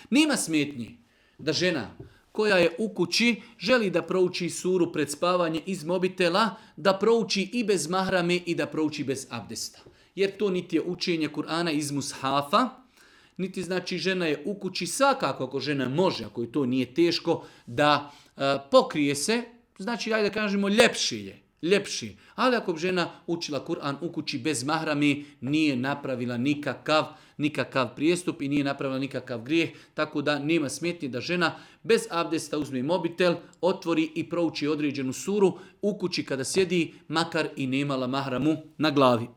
Nema smetnji da žena koja je u kući želi da prouči suru pred spavanje iz mobitela, da prouči i bez mahrame i da prouči bez abdesta. Jer to niti je učenje Kur'ana iz mushafa, niti znači žena je u kući, svakako ako žena može, ako joj to nije teško, da pokrije se, znači ajde da kažemo ljepši. Ali ako bi žena učila Kur'an u kući bez mahrami, nije napravila nikakav prijestup i nije napravila nikakav grijeh, tako da nema smetnje da žena bez abdesta uzme mobitel, otvori i prouči određenu suru u kući kada sjedi, makar i nemala mahramu na glavi.